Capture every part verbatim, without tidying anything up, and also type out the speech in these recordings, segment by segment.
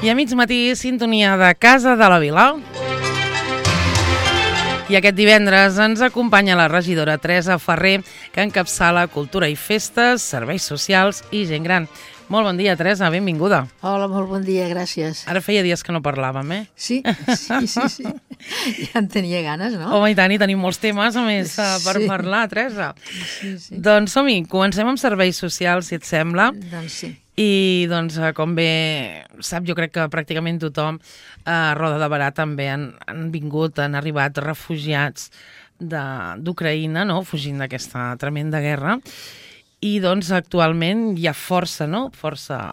I a mig matí, sintonia de Casa de la Vila. I aquest divendres ens acompanya la regidora Teresa Ferrer, que encapçala Cultura i Festes, Serveis Socials i Gent Gran. Molt bon dia, Teresa, benvinguda. Hola, molt bon dia, gràcies. Ara feia dies que no parlàvem, eh? Sí, sí, sí, sí. Ja en tenia ganes, no? Home, i tant, i tenim molts temes, a més, per Sí. parlar, Teresa. Sí, sí. Doncs som-hi, comencem amb Serveis Socials, si et sembla. Doncs sí. I, doncs, com bé sap, jo crec que pràcticament tothom a Roda de Berà també han, han vingut, han arribat refugiats de- d'Ucraïna, no?, fugint d'aquesta tremenda guerra. I, doncs, actualment hi ha força, no?, força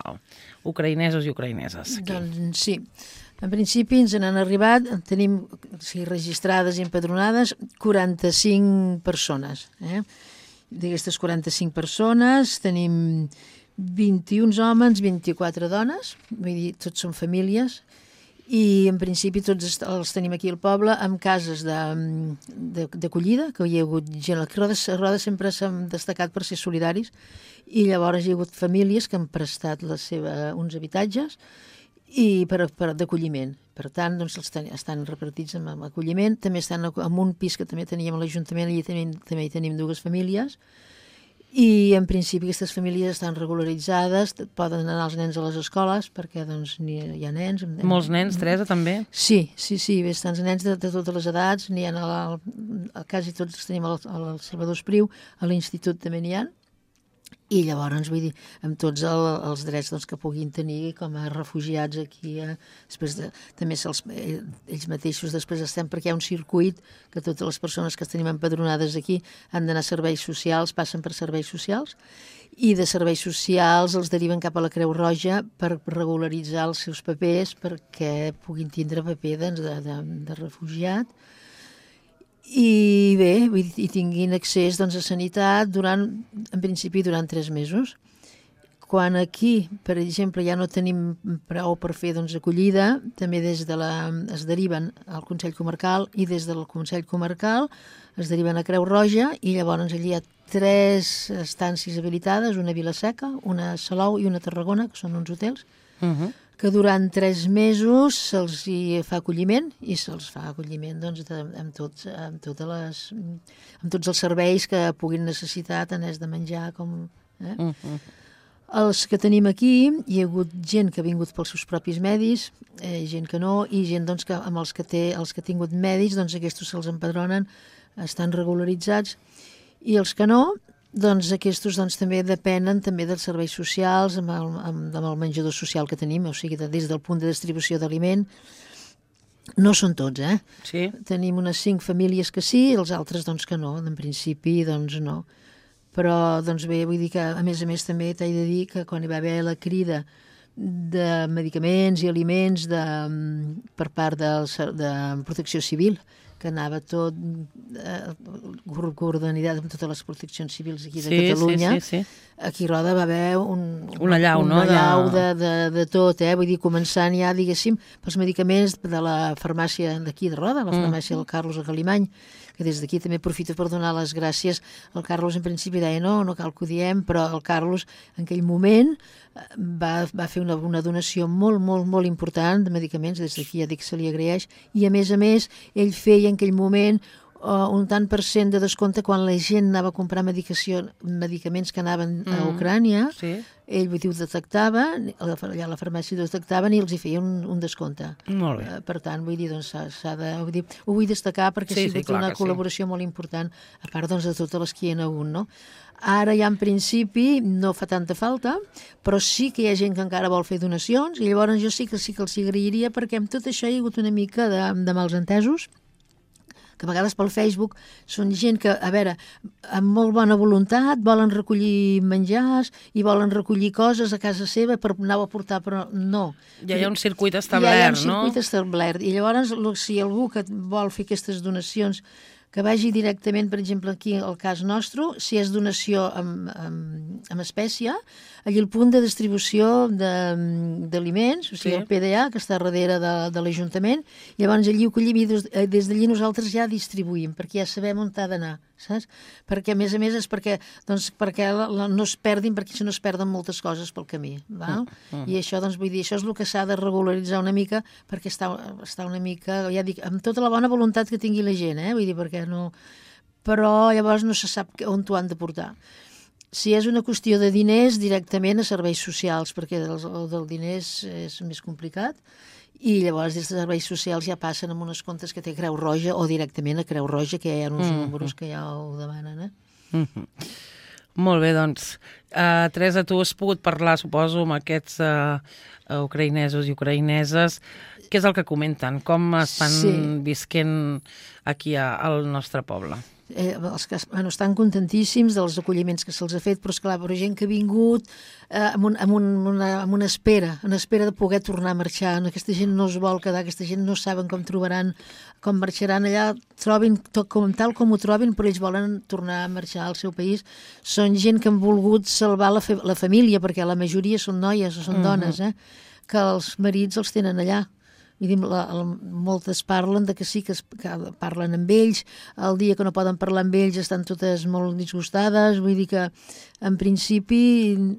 ucraïnesos i ucraïneses aquí. Doncs sí. En principi ens n'han arribat, tenim o sigui, registrades i empadronades quaranta-cinc persones. Eh? D'aquestes quaranta-cinc persones tenim vint-i-un homes, vint-i-quatre dones, vull dir, tots són famílies, i en principi tots est- els tenim aquí al poble amb cases de- de- d'acollida, que hi ha hagut gent, a Roda, a Roda sempre s'han destacat per ser solidaris, i llavors hi ha hagut famílies que han prestat la seva, uns habitatges i per, per d'acolliment. Per tant, doncs, els ten, estan repartits amb, amb acolliment, també estan en un pis que també teníem a l'Ajuntament, allà tenim, també hi tenim dues famílies, i en principi aquestes famílies estan regularitzades, poden anar els nens a les escoles perquè doncs, hi, hi ha nens. Molts nens, Teresa, també? Sí, sí, sí, bastants nens de, de totes les edats, n'hi ha a, a quasi tots els tenim al, al Salvador Espriu, a l'institut també n'hi ha, i llavors, vull dir, amb tots el, els drets doncs, que puguin tenir com a refugiats aquí, eh, després de, també se'ls, ells mateixos després estem, perquè hi ha un circuit que totes les persones que tenim empadronades aquí han d'anar a serveis socials, passen per serveis socials, i de serveis socials els deriven cap a la Creu Roja per regularitzar els seus papers perquè puguin tindre paper doncs, de, de, de refugiat, i bé, vull dir, i tinguin accés doncs, a sanitat durant, en principi durant tres mesos. Quan aquí, per exemple, ja no tenim prou per fer doncs, acollida, també des de la, es deriven al Consell Comarcal i des del Consell Comarcal es deriven a Creu Roja i llavors allí hi ha tres estàncies habilitades, una a Vila-seca, una a Salou i una a Tarragona, que són uns hotels, Uh -huh. que durant tres mesos se'ls hi fa acolliment i se'ls fa acolliment doncs, de, amb, tots, amb, totes les, amb tots els serveis que puguin necessitar, tant és de menjar com... Eh? Uh -huh. Els que tenim aquí, hi ha hagut gent que ha vingut pels seus propis medis, eh, gent que no, i gent doncs, que amb els que, té, els que ha tingut medis, doncs aquests se'ls empadronen, estan regularitzats, i els que no, doncs aquests doncs, també depenen també dels serveis socials, amb el, amb, amb el menjador social que tenim, o sigui, des del punt de distribució d'aliment. No són tots, eh? Sí. Tenim unes cinc famílies que sí, i els altres doncs que no, en principi doncs no. Però doncs bé, vull dir que a més a més també t'he de dir que quan hi va haver la crida de medicaments i aliments de, per part del, de Protecció Civil, que anava tot eh, coordinat amb totes les proteccions civils aquí de Sí, Catalunya. sí, sí, sí. Aquí a Roda va haver un, Una llau, una no? De- llau de, de, de tot, eh? Vull dir, començant ja, diguéssim, pels medicaments de la farmàcia d'aquí de Roda, la farmàcia del Carlos a Galimany, que des d'aquí també aprofito per donar les gràcies. El Carlos en principi deia no, no cal que ho diem, però el Carlos en aquell moment va, va fer una, una donació molt, molt, molt important de medicaments, des d'aquí ja dic que se li agraeix, i a més a més ell feia en aquell moment uh, un tant per cent de descompte quan la gent anava a comprar medicació, medicaments que anaven a Ucrània, Sí. ell vull dir, ho detectava, allà a la farmàcia ho detectaven i els hi feia un, un descompte. Molt bé. Eh, Per tant, vull dir, doncs, s'ha s'ha de, vull dir, ho vull destacar perquè Sí, ha sí, sigut clar una que sí. col·laboració molt important, a part doncs, de totes les que hi ha hagut, no? Ara ja en principi no fa tanta falta, però sí que hi ha gent que encara vol fer donacions i llavors jo sí que sí que els agrairia perquè amb tot això hi ha hagut una mica de, de mals entesos, que a vegades pel Facebook són gent que, a veure, amb molt bona voluntat volen recollir menjars i volen recollir coses a casa seva per anar-ho a portar, però no. Ja hi ha un circuit Ja establert, hi ha un circuit no? establert. I llavors, si algú que vol fer aquestes donacions que vagi directament, per exemple, aquí al cas nostre, si és donació amb, amb, amb espècie, allà el punt de distribució d'aliments, o sigui, sí. el P D A, que està darrere de, de l'Ajuntament, i llavors allí ho collim i des, des d'allí nosaltres ja distribuïm, perquè ja sabem on ha d'anar, saps? Perquè, a més a més, és perquè, doncs, perquè la, la, no es perdin, perquè si no es perden moltes coses pel camí, val? Mm. I això, doncs, vull dir, això és el que s'ha de regularitzar una mica, perquè està, està una mica, ja dic, amb tota la bona voluntat que tingui la gent, eh? Vull dir, perquè no... Però llavors no se sap on t'ho han de portar. Si és una qüestió de diners, directament a serveis socials, perquè el, el del diners és més complicat, i llavors des de serveis socials ja passen amb unes comptes que té Creu Roja o directament a Creu Roja, que ja hi ha uns mm-hmm. números que ja ho demanen. Eh? Mm-hmm. Molt bé, doncs. Uh, Teresa, tu has pogut parlar, suposo, amb aquests uh, ucraïnesos i ucraïneses. Què és el que comenten? Com estan sí. visquent aquí a, al nostre poble? Eh, els que bueno, estan contentíssims dels acolliments que se'ls ha fet, però esclar, però gent que ha vingut eh, amb, un, amb, un, una, amb una espera, una espera de poder tornar a marxar. Aquesta gent no es vol quedar, aquesta gent no saben com trobaran, com marxaran allà, trobin tot com, tal com ho trobin, però ells volen tornar a marxar al seu país. Són gent que han volgut salvar la, la família, perquè la majoria són noies o són mm-hmm. dones, eh, que els marits els tenen allà. Vull dir, la, la, moltes parlen de que sí, que, es, que parlen amb ells, el dia que no poden parlar amb ells estan totes molt disgustades, vull dir que en principi...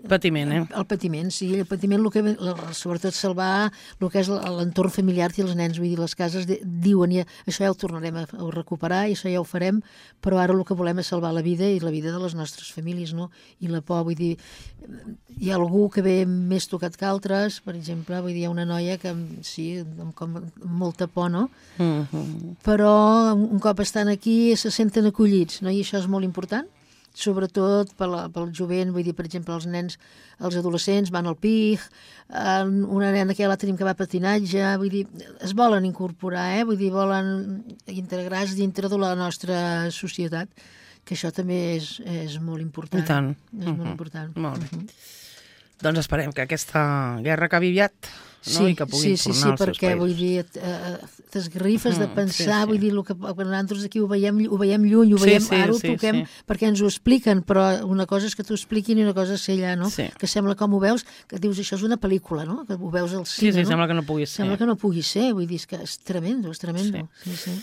Patiment, eh? El patiment, sí, el patiment, el que, el, sobretot salvar el que és l'entorn familiar i els nens, vull dir, les cases de, diuen, ja, això ja ho tornarem a, a recuperar i això ja ho farem, però ara el que volem és salvar la vida i la vida de les nostres famílies, no? I la por, vull dir, hi ha algú que ve més tocat que altres, per exemple, vull dir, hi ha una noia que, sí, amb com molta por, no? Mm-hmm. Però un cop estan aquí se senten acollits, no? I això és molt important, sobretot pel, pel jovent, vull dir, per exemple, els nens, els adolescents van al P I G, eh, una nena que ja la tenim que va a patinatge, vull dir, es volen incorporar, eh? Vull dir, volen integrar-se dintre de la nostra societat, que això també és, és molt important. I tant. És mm-hmm. molt important. Molt bé. Mm-hmm. Doncs esperem que aquesta guerra acabi aviat, no? Sí, I que puguin sí, sí, tornar sí, als seus perquè, països. vull dir, eh, t'esgarrifes de pensar, sí, sí. vull dir, el que, que nosaltres aquí ho veiem, ho veiem lluny, ho Sí, veiem, sí, ara ho sí, toquem sí. perquè ens ho expliquen, però una cosa és que t'ho expliquin i una cosa és ser allà, no? Sí. Que sembla com ho veus, que dius, això és una pel·lícula, no? Que ho veus al Sí, cine, sí, no? sembla que no pugui ser. Sembla que no pugui ser, vull dir, és que és tremendo, és tremendo. Sí. Sí, sí.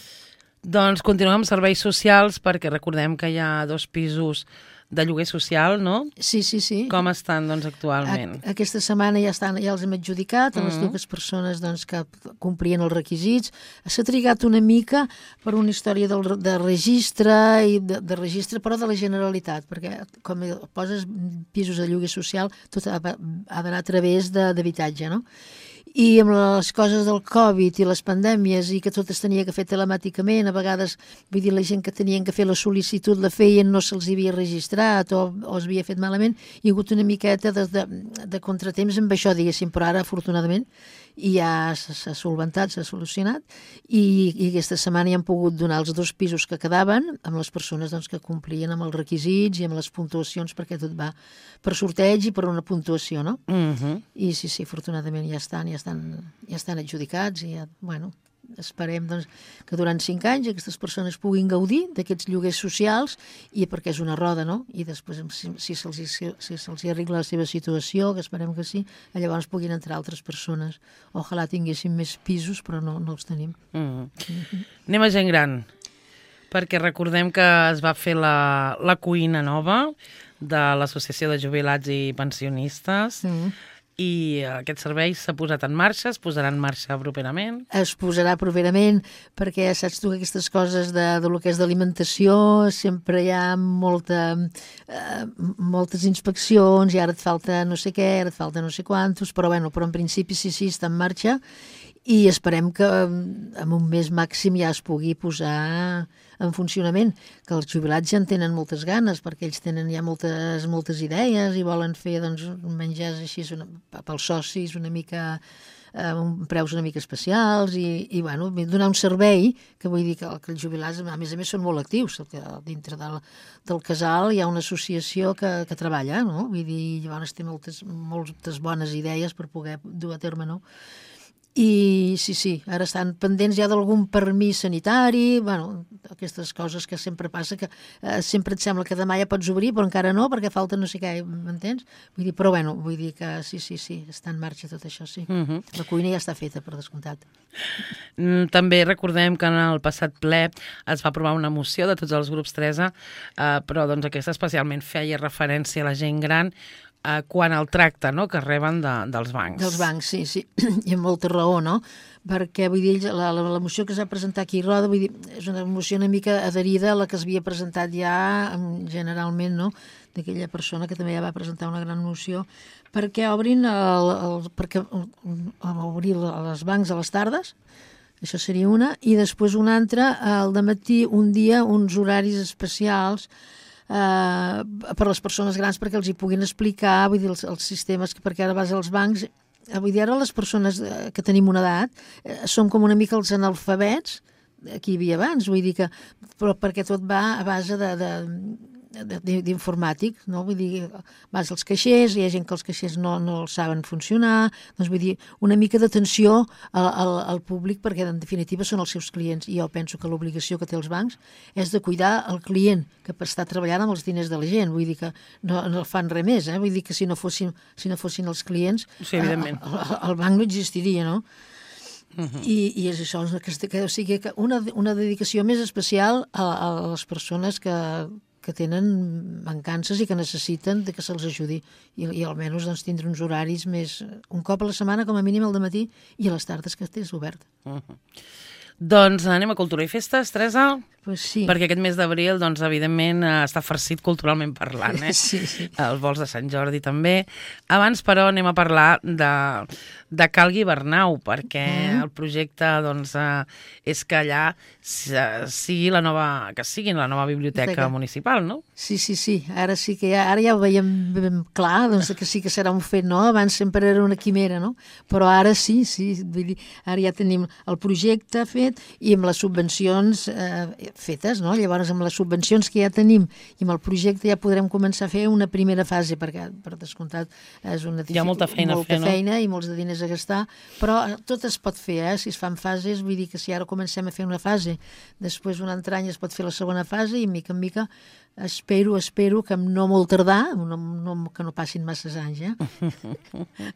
Doncs continuem amb serveis socials, perquè recordem que hi ha dos pisos de lloguer social, no? Sí, sí, sí. Com estan, doncs, actualment? A, aquesta setmana ja, estan, ja els hem adjudicat a les Mm. dues persones doncs, que complien els requisits. S'ha trigat una mica per una història del, de registre, i de, de registre, però de la Generalitat, perquè com poses pisos de lloguer social, tot ha, ha d'anar a través d'habitatge, no? I amb les coses del Covid i les pandèmies i que tot es tenia que fer telemàticament, a vegades, vull dir, la gent que tenien que fer la sol·licitud la feien, no se'ls havia registrat o, o es havia fet malament, hi ha hagut una miqueta de, de, de contratemps amb això, diguéssim, però ara, afortunadament, i ja s'ha solventat, s'ha solucionat, i, i aquesta setmana ja han pogut donar els dos pisos que quedaven amb les persones doncs, que complien amb els requisits i amb les puntuacions, perquè tot va per sorteig i per una puntuació, no? Mm-hmm. I sí, sí, afortunadament ja estan, ja estan, ja estan adjudicats i ja, bueno, esperem doncs, que durant cinc anys aquestes persones puguin gaudir d'aquests lloguers socials i perquè és una roda, no? I després, si, si se'ls si, si se arregla la seva situació, que esperem que sí, llavors puguin entrar altres persones. Ojalà tinguéssim més pisos, però no, no els tenim. Mm. Mm-hmm. Anem a gent gran, perquè recordem que es va fer la, la cuina nova de l'Associació de Jubilats i Pensionistes, mm. i aquest servei s'ha posat en marxa, es posarà en marxa properament? Es posarà properament, perquè saps tu que aquestes coses de, de lo que és d'alimentació sempre hi ha molta, eh, moltes inspeccions i ara et falta no sé què, ara et falta no sé quantos, però, bueno, però en principi sí, sí, està en marxa i esperem que en un mes màxim ja es pugui posar en funcionament, que els jubilats ja en tenen moltes ganes, perquè ells tenen ja moltes, moltes idees i volen fer doncs, menjars així una, pels socis una mica, eh, un, preus una mica especials i, i bueno, donar un servei, que vull dir que, que els jubilats a més a més són molt actius, que dintre del, del casal hi ha una associació que, que treballa, no? Vull dir, llavors té moltes, moltes bones idees per poder dur a terme, no? I sí, sí, ara estan pendents ja d'algun permís sanitari, bueno, aquestes coses que sempre passa, que eh, sempre et sembla que demà ja pots obrir, però encara no, perquè falta no sé què, m'entens? Vull dir, però bueno, vull dir que sí, sí, sí, està en marxa tot això, sí. Uh -huh. La cuina ja està feta, per descomptat. També recordem que en el passat ple es va aprovar una moció de tots els grups Teresa, eh, però doncs aquesta especialment feia referència a la gent gran eh, quan el tracte, no?, que reben de, dels bancs. Dels bancs, sí, sí, i amb molta raó, no? Perquè, vull dir, la, la, la moció que s'ha presentat aquí a Roda, vull dir, és una moció una mica adherida a la que es havia presentat ja generalment, no?, d'aquella persona que també ja va presentar una gran moció, perquè obrin el, el, perquè obrir els bancs a les tardes, això seria una, i després una altra, al dematí, un dia, uns horaris especials eh, per les persones grans perquè els hi puguin explicar, vull dir, els, els sistemes, perquè ara vas als bancs, vull dir, ara les persones que tenim una edat eh, som com una mica els analfabets que hi havia abans, vull dir que, però perquè tot va a base de, de d'informàtic, no? Vull dir, vas als caixers, hi ha gent que els caixers no, no els saben funcionar, doncs vull dir, una mica d'atenció al, al, al públic, perquè en definitiva són els seus clients, i jo penso que l'obligació que té els bancs és de cuidar el client, que està treballant amb els diners de la gent, vull dir que no, no fan res més, eh? Vull dir que si no fossin, si no fossin els clients, sí, evidentment. El, el banc no existiria, no? Uh -huh. I, i és això, que, que, o sigui, que una, una dedicació més especial a, a les persones que que tenen mancances i que necessiten de que se'ls ajudi i, i almenys doncs, tindre uns horaris més, un cop a la setmana com a mínim al dematí i a les tardes que estés obert. Uh -huh. Doncs anem a Cultura i Festes, Teresa? Pues sí. Perquè aquest mes d'abril, doncs, evidentment, està farcit culturalment parlant, eh? Sí, sí. Els vols de Sant Jordi també. Abans, però, anem a parlar de, de Cal Guibernau, perquè mm. el projecte, doncs, eh, és que allà sigui la nova, que sigui la nova biblioteca que... municipal, no? Sí, sí, sí. Ara sí que ja, ara ja ho veiem ben clar, doncs que sí que serà un fet, no? Abans sempre era una quimera, no? Però ara sí, sí. Vull dir, ara ja tenim el projecte fet i amb les subvencions eh, fetes, no? Llavors, amb les subvencions que ja tenim i amb el projecte ja podrem començar a fer una primera fase, perquè, per descomptat, és una hi ha molta feina molta a fer, feina no? I molts de diners a gastar, però tot es pot fer, eh? Si es fan fases, vull dir que si ara comencem a fer una fase, després un altre any es pot fer la segona fase i, mica en mica, espero, espero que no molt tardar, no, no, que no passin masses anys, eh?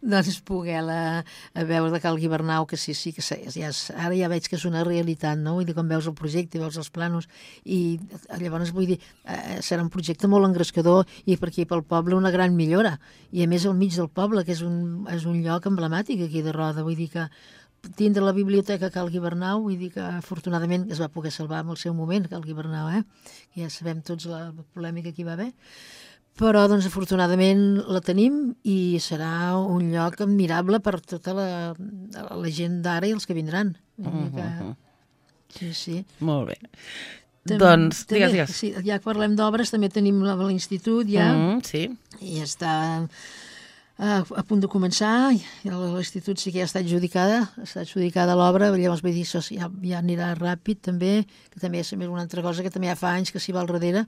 doncs poder la, a veure de Cal Guibernau, que sí, sí, que ja, ara ja veig que és una realitat, no? Vull dir, quan veus el projecte, veus els planos, i llavors vull dir, eh, serà un projecte molt engrescador i per aquí pel poble una gran millora, i a més al mig del poble, que és un, és un lloc emblemàtic aquí de Roda, vull dir que tindre la biblioteca Cal Guibernau, vull dir que afortunadament es va poder salvar en el seu moment Cal Guibernau, eh? Ja sabem tots la polèmica que hi va haver, però doncs afortunadament la tenim i serà un lloc admirable per tota la, la gent d'ara i els que vindran. Vull dir que... Sí, sí. Molt bé. També, doncs, també, digues, digues. Sí, ja que parlem d'obres, també tenim l'institut ja, mm, sí. i està a, a punt de començar, l'institut sí que ja està adjudicada, està adjudicada l'obra, llavors vull dir, això ja, ja anirà ràpid també, que també és una altra cosa que també ja fa anys que s'hi va al darrere,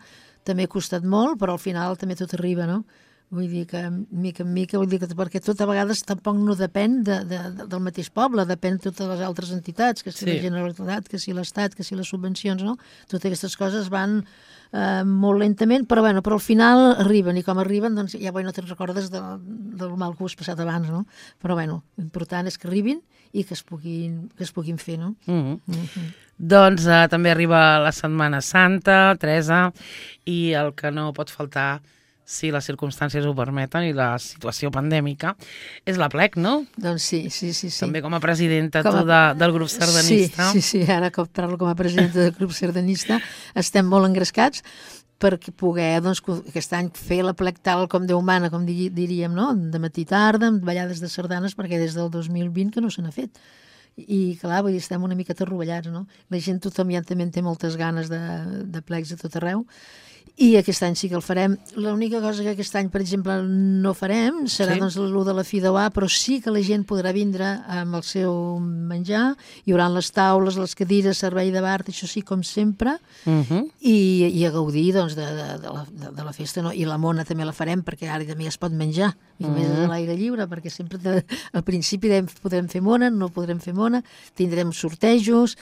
també ha costat molt, però al final també tot arriba, no? Vull dir que mica en mica, vull dir que perquè tot a vegades tampoc no depèn de, de, del mateix poble, depèn de totes les altres entitats, que si sí. La Generalitat, que si l'Estat, que si les subvencions, no? Totes aquestes coses van eh, molt lentament, però bueno, però al final arriben, i com arriben, doncs ja no te'n recordes de, del mal que ho has passat abans, no? Però bueno, l'important és que arribin i que es puguin, que es puguin fer, no? Mm-hmm. Mm-hmm. Doncs eh, també arriba la Setmana Santa, Teresa, i el que no pot faltar, si les circumstàncies ho permeten i la situació pandèmica, és l'Aplec, no? Doncs sí, sí, sí. sí. També com a presidenta com a... tu de, del grup sardanista. Sí, sí, sí, ara que parlo com a presidenta del grup sardanista estem molt engrescats perquè poder, doncs, aquest any fer l'Aplec tal com Déu mana, com diríem, no? De matí i tarda, amb ballades de sardanes, perquè des del dos mil vint que no se n'ha fet. I clar, vull dir, estem una miqueta rovellats, no? La gent, tothom ja també en té moltes ganes de, de plecs a tot arreu, i aquest any sí que el farem. L'única cosa que aquest any, per exemple, no farem serà Sí. doncs l'u de la Fideuà, però sí que la gent podrà vindre amb el seu menjar, hi haurà les taules, les cadires, servei de bar, això sí, com sempre, Uh -huh. i, i a gaudir doncs, de, de, de, la, de, de la festa, no? I la mona també la farem, perquè ara també es pot menjar, i només Mm. a l'aire lliure, perquè sempre te, al principi dèiem, podrem fer mona, no podrem fer mona, tindrem sortejos,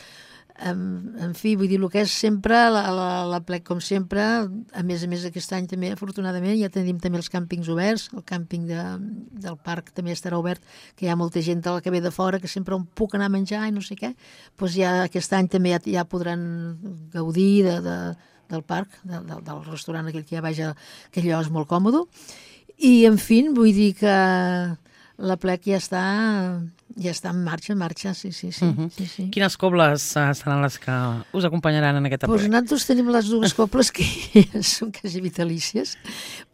en, en fi, vull dir, el que és sempre la, la, la plec, com sempre, a més a més aquest any també, afortunadament, ja tenim també els càmpings oberts, el càmping de, del parc també estarà obert, que hi ha molta gent de la que ve de fora, que sempre on puc anar a menjar i no sé què, doncs ja aquest any també ja, ja podran gaudir de, de, del parc, de, de, del restaurant aquell que hi ha baix, que allò és molt còmode, i en fi, vull dir que la plec ja està, ja està en marxa, en marxa, sí, sí, sí. Uh -huh. sí, sí. Quines cobles uh, seran les que us acompanyaran en aquest Pues aplec? nosaltres tenim les dues cobles que són quasi vitalícies,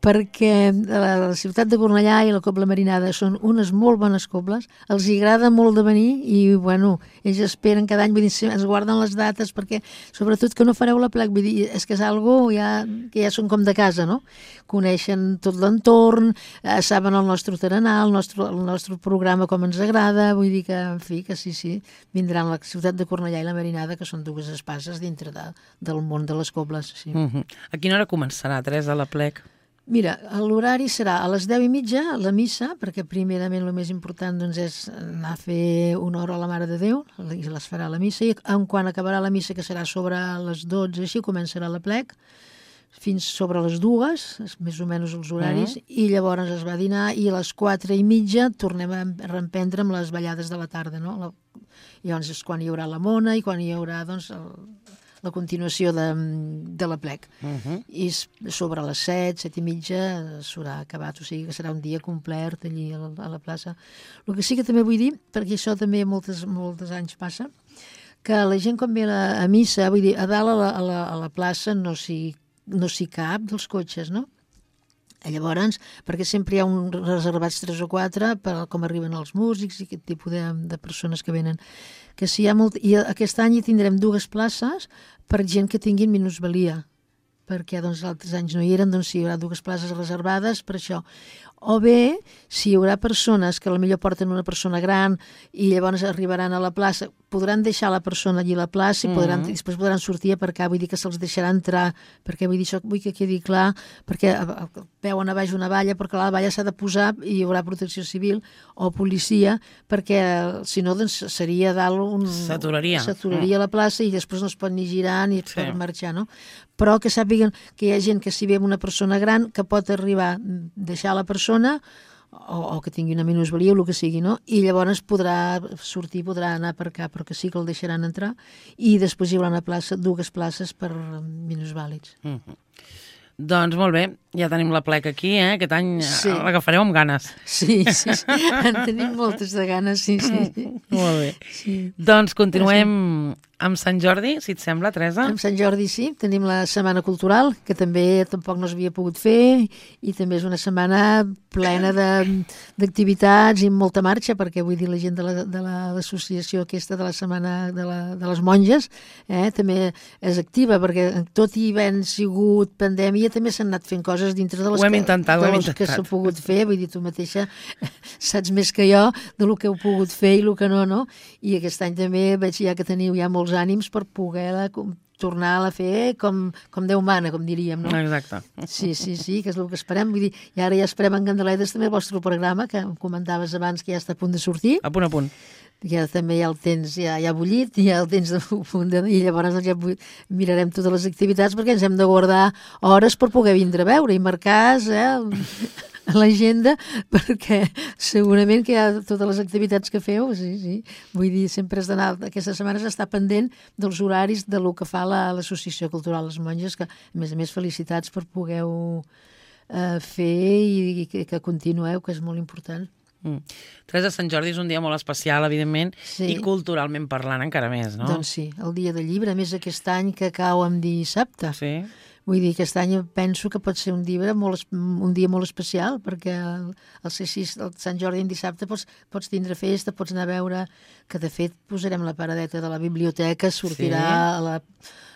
perquè la, la ciutat de Cornellà i la Cobla Marinada són unes molt bones cobles, els hi agrada molt de venir i, bueno, ells esperen cada any, vull dir, ens guarden les dates perquè, sobretot, que no fareu la plec, vull dir, és que és algo ja, que ja són com de casa, no? Coneixen tot l'entorn, eh, saben el nostre tarannà, el nostre, el nostre programa com ens agrada, vull dir que, en fi, que sí, sí, vindran la ciutat de Cornellà i la Marinada, que són dues espases dintre de, del món de les cobles, sí. Uh -huh. A quina hora començarà, Teresa, la plec? Mira, l'horari serà a les deu i mitja, la missa, perquè primerament el més important doncs, és anar a fer una hora a la Mare de Déu, i les farà la missa, i en quan acabarà la missa, que serà sobre les dotze, així començarà la plec, fins sobre les dues, més o menys els horaris, Mm. i llavors es va dinar, i a les quatre i mitja tornem a reemprendre amb les ballades de la tarda, no? La, llavors és quan hi haurà la mona i quan hi haurà, doncs, el, la continuació de, de la plec. Uh -huh. I sobre les set, set i mitja s'haurà acabat, o sigui que serà un dia complet allí a la, a la plaça. El que sí que també vull dir, perquè això també moltes, molts anys passa, que la gent quan ve a, la, a missa, vull dir, a dalt a la, a la, a la plaça no s'hi no s'hi cap dels cotxes, no? Llavors, perquè sempre hi ha un reservats tres o quatre per com arriben els músics i aquest tipus de, de persones que venen. Que si hi ha molt, i aquest any hi tindrem dues places per gent que tinguin minusvalia, perquè doncs, altres anys no hi eren, doncs hi haurà dues places reservades per això. O bé, si hi haurà persones que potser porten una persona gran i llavors arribaran a la plaça, podran deixar la persona allí a la plaça i podran, Mm. després podran sortir a aparcar, vull dir que se'ls deixarà entrar, perquè vull dir això, vull que quedi clar, perquè veuen a baix una valla, perquè la valla s'ha de posar i hi haurà protecció civil o policia, perquè si no doncs, seria dalt un... S'aturaria. S'aturaria la plaça i després no es pot ni girar ni Sí. per marxar, no? Però que sàpiguen que hi ha gent que si ve amb una persona gran que pot arribar a deixar la persona o, o que tingui una minusvalia o el que sigui, no? I llavors podrà sortir, podrà anar a aparcar, però que sí que el deixaran entrar i després hi haurà una plaça, dues places per minusvàlids. Uh -huh. Doncs molt bé, ja tenim la plec aquí, eh? Aquest any Sí. l'agafareu amb ganes. Sí, sí, sí. En tenim moltes de ganes, sí, sí. Molt bé. sí. Doncs continuem amb Sant Jordi, si et sembla, Teresa. Amb Sant Jordi sí, tenim la Setmana Cultural, que també tampoc no s'havia pogut fer, i també és una setmana plena de- d'activitats i amb molta marxa, perquè vull dir la gent de la- de la- l'associació aquesta de la Setmana de, la, de les Monges eh, també és activa, perquè tot i havent sigut pandèmia també s'han anat fent coses dintre de les Ho hem que, intentat, ho de hem les que intentat. s'ha pogut fer, vull dir, tu mateixa saps més que jo de lo que heu pogut fer i el que no, no? I aquest any també veig ja que teniu ja molts ànims per poder-la com- tornar a fer com, com Déu mana, com diríem, no? Exacte. Sí, sí, sí, que és el que esperem. Vull dir, i ara ja esperem en Candeledes també el vostre programa, que em comentaves abans que ja està a punt de sortir. A punt a punt. Ja també ja el tens ja, ja bullit, ja el tens de punt de... I llavors doncs, ja bu- mirarem totes les activitats perquè ens hem de guardar hores per poder vindre a veure i marcar eh, a l'agenda perquè segurament que hi ha totes les activitats que feu, sí, sí. Vull dir, sempre has d'anar, aquestes setmanes està pendent dels horaris de lo que fa la- l'Associació Cultural Les Monges, que a més a més felicitats per poder-ho eh, fer i, i que, que continueu, que és molt important. Mm. Teresa, Sant Jordi és un dia molt especial, evidentment, Sí. i culturalment parlant encara més, no? Doncs sí, el dia del llibre, a més aquest any que cau en dissabte. Sí. Vull dir, aquest any penso que pot ser un dia molt, es- un dia molt especial, perquè el, el, C sis, el Sant Jordi en dissabte pots, pots tindre festa, pots anar a veure, que de fet posarem la paradeta de la biblioteca, sortirà Sí. a la,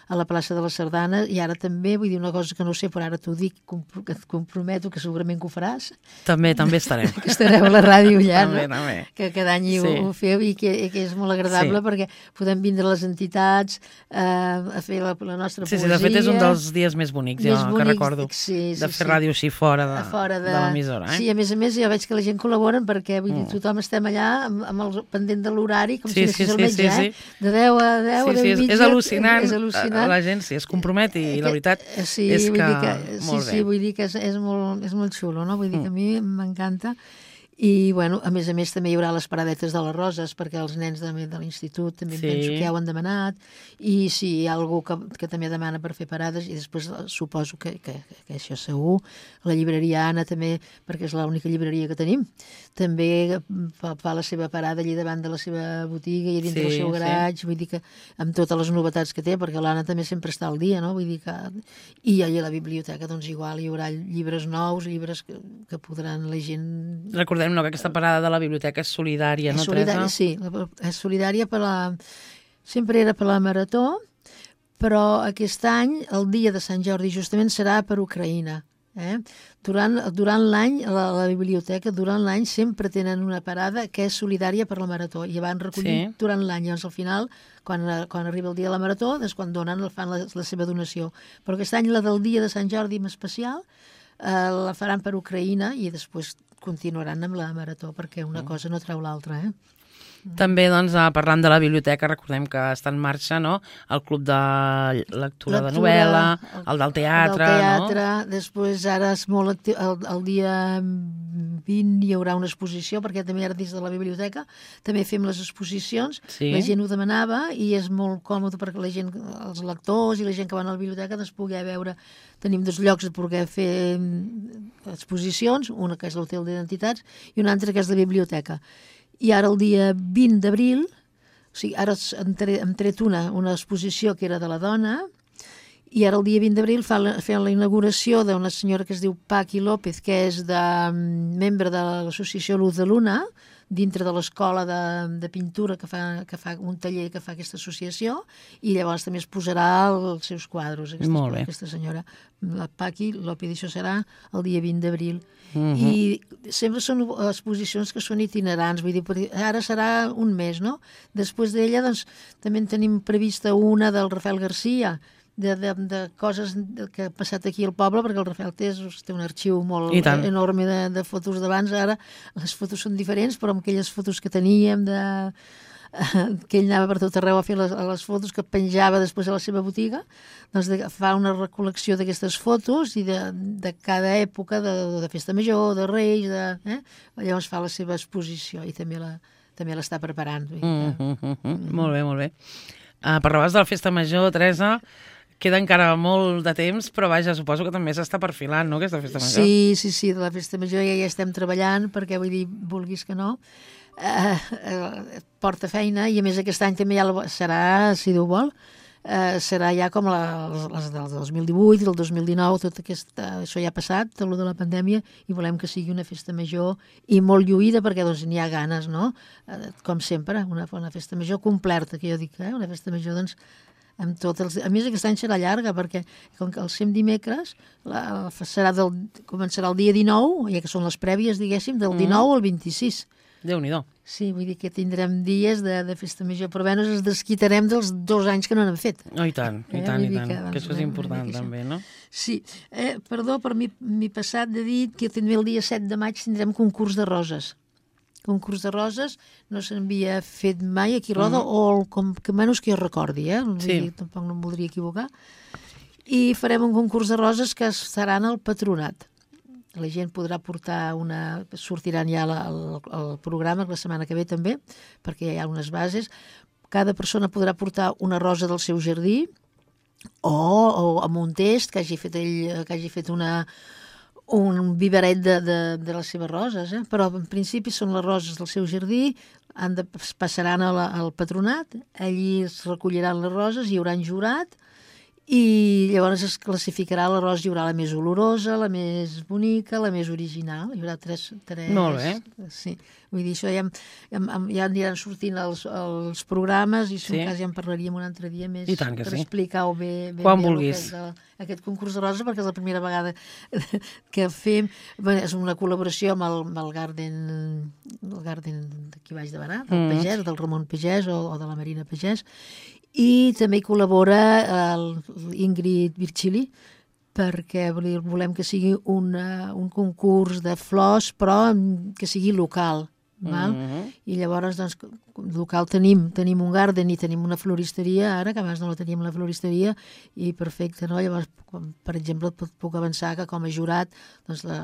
a la plaça de la Sardana, i ara també, vull dir una cosa que no sé, però ara t'ho dic, que et comprometo que segurament que ho faràs. També, també estarem. Que estareu a la ràdio ja, també, no? també. Que cada any sí. ho, ho feu i que, i que és molt agradable sí. perquè podem vindre a les entitats eh, a fer la, la nostra sí, poesia. Sí, de fet és un dels dies més bonics, més jo bonics, que recordo, sí, sí, de fer sí. ràdio així fora de, fora de, de l'emissora. Eh? Sí, a més a més jo veig que la gent col·labora perquè vull dir, tothom estem allà amb, amb el pendent de l'horari, com sí, si sí, anéssim sí, al metge, sí, sí. eh? De deu a deu, sí, a deu sí, i mitja. És al·lucinant, és al·lucinant. la gent sí, es compromet i la veritat sí, és vull que, dir que molt sí, bé. Sí, vull dir que és, és, molt, és molt xulo, no? Vull dir que a mi m'encanta. I, bueno, a més a més també hi haurà les paradetes de les roses perquè els nens de, de l'institut també sí. penso que ja ho han demanat i si hi ha algú que, que també demana per fer parades i després suposo que, que, que això segur, la llibreria Anna també, perquè és l'única llibreria que tenim, també fa, fa la seva parada allà davant de la seva botiga i dins sí, del seu garatge, sí. vull dir que amb totes les novetats que té, perquè l'Anna també sempre està al dia, no? Vull dir que... I allà a la biblioteca, doncs igual, hi haurà llibres nous, llibres que, que podran la gent... Recordem no, que aquesta parada de la biblioteca és solidària, és no, solidària, Teresa? Sí, és solidària per la... Sempre era per la Marató, però aquest any, el dia de Sant Jordi, justament serà per Ucraïna. Eh? Durant, durant l'any, a la, la biblioteca, durant l'any sempre tenen una parada que és solidària per la Marató i van recollir sí. durant l'any. Llavors, al final, quan, quan arriba el dia de la Marató, és quan donen, fan la, la seva donació. Però aquest any, la del dia de Sant Jordi en especial, eh, la faran per Ucraïna i després continuaran amb la Marató, perquè una cosa no treu l'altra, eh? També, doncs, parlant de la biblioteca, recordem que està en marxa, no?, el club de lectura, lectura de novel·la, el, el del teatre, el teatre, no? Després ara és molt actiu, el, el dia vint hi haurà una exposició, perquè també ara dins de la biblioteca també fem les exposicions, sí. La gent ho demanava i és molt còmode perquè la gent, els lectors i la gent que van a la biblioteca doncs poder veure, tenim dos llocs de poder fer exposicions, una que és l'Hotel d'Identitats i una altra que és la biblioteca. I ara el dia vint d'abril, o sigui, ara hem tret una, una exposició que era de la dona, i ara el dia vint d'abril fa la, la inauguració d'una senyora que es diu Paqui López, que és de, membre de l'associació Luz de Luna, dintre de l'escola de, de pintura que fa, que fa un taller que fa aquesta associació, i llavors també es posarà els seus quadros, aquesta, aquesta senyora, la Paqui López, i això serà el dia vint d'abril. Uh-huh. I sempre són exposicions que són itinerants, vull dir, ara serà un mes, no? Després d'ella, doncs, també en tenim prevista una del Rafael García, de, de, de coses que ha passat aquí al poble, perquè el Rafael té, té un arxiu molt enorme de, de fotos d'abans. Ara les fotos són diferents, però amb aquelles fotos que teníem de... que ell anava per tot arreu a fer les, les fotos que penjava després a la seva botiga, doncs de, fa una recol·lecció d'aquestes fotos i de, de cada època, de, de festa major, de Reis, de, eh? Llavors fa la seva exposició i també la també l'està preparant. Mm, mm, mm, mm. Molt bé, molt bé. Uh, parlaves de la festa major, Teresa, queda encara molt de temps, però vaja, suposo que també s'està perfilant, no?, aquesta festa major. Sí, sí, sí, de la festa major ja hi estem treballant, perquè vull dir, vulguis que no, Uh, uh, porta feina, i a més aquest any també ja la, serà, si Déu vol, uh, serà ja com la, les del dos mil divuit i del dos mil dinou, tot aquest, uh, això ja ha passat, tot el de la pandèmia, i volem que sigui una festa major i molt lluïda, perquè doncs n'hi ha ganes, no? Uh, com sempre, una, una festa major completa, que jo dic, eh? Una festa major, doncs, amb tot els... A més, aquest any serà llarga, perquè com que el fem dimecres, la, serà del, començarà el dia dinou, ja que són les prèvies, diguéssim, del dinou al vint-i-sis. Déu-n'hi-do. Sí, vull dir que tindrem dies de, de festa major, però bé, ens desquitarem dels dos anys que no n'hem fet. Oh, i tant, i tant, eh? i tant, que, que això és important també, no? Sí, eh, perdó, per mi m'he passat de dir que també el dia set de maig tindrem concurs de roses. Concurs de roses no s'havia fet mai aquí a Roda, uh -huh. o com que menys que jo recordi, eh? Sí. Dir, tampoc no em voldria equivocar. I farem un concurs de roses que seran al Patronat. La gent podrà portar una... Sortiran ja la, el, el programa la setmana que ve també, perquè hi ha unes bases. Cada persona podrà portar una rosa del seu jardí o, o amb un test que hagi fet ell, que hagi fet una, un viveret de, de, de les seves roses, eh? Però en principi són les roses del seu jardí, han de, passaran a la, al Patronat, allí es recolliran les roses, hi haurà un jurat, i llavors es classificarà la rosa, hi haurà la més olorosa, la més bonica, la més original, hi haurà tres... tres Molt bé. Sí, vull dir, això ja, ja, ja aniran sortint els, els programes i si Sí. en cas ja en parlaríem un altre dia més I tant que per sí. explicar-ho bé, ben Quan bé vulguis. Aquest, aquest concurs de rosa, perquè és la primera vegada que fem, bé, és una col·laboració amb el, amb el Garden, el Garden d'aquí baix de Barà, del Mm. Pagès, del Ramon Pagès o, o de la Marina Pagès, i també hi col·labora el Ingrid Virgili, perquè volem que sigui una, un concurs de flors, però que sigui local. Val? Mhm. I llavors, doncs, local tenim, tenim un garden i tenim una floristeria, ara, que abans no la teníem la floristeria, i perfecte, no? Llavors, com, per exemple, puc, puc avançar que com a jurat, doncs, la,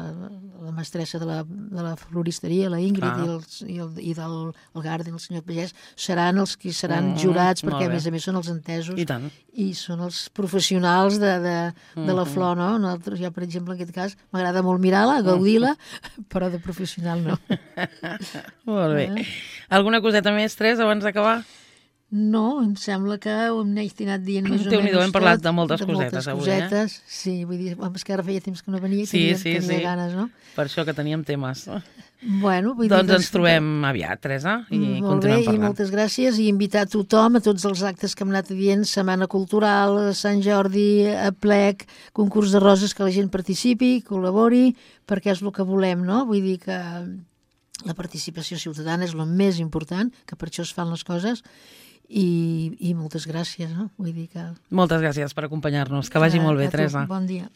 la mestressa de la, de la floristeria, la Ingrid, Ah. i, els, i, el, i del el garden, el senyor Pagès, seran els que seran Mm, jurats, molt perquè, a bé. més a més, són els entesos I tant. i són els professionals de, de, de la Mhm. flor, no? Nosaltres, jo, per exemple, en aquest cas, m'agrada molt mirar-la, gaudir-la, però de professional no. Molt bé. Eh? Alguna coseta més, Tres, abans d'acabar? No, em sembla que ho hem anat dient més o Déu-n'hi-do, menys hem parlat tot, de moltes cosetes avui, eh? cosetes. Sí, vull dir, home, és que ara feia temps que no venia i Sí, tenia, sí, tenia sí. ganes, no? Per això que teníem temes. Bueno, vull Doncs dir, ens trobem aviat, Teresa, i Molt bé, continuem i parlant. moltes gràcies, i invitar tothom a tots els actes que hem anat dient, Setmana Cultural, Sant Jordi, Aplec, concurs de roses, que la gent participi, col·labori, perquè és el que volem, no? Vull dir que la participació ciutadana és el més important, que per això es fan les coses, i, i moltes gràcies, no? Vull dir que... Moltes gràcies per acompanyar-nos. Que vagi molt bé, A tu, Teresa. Bon dia.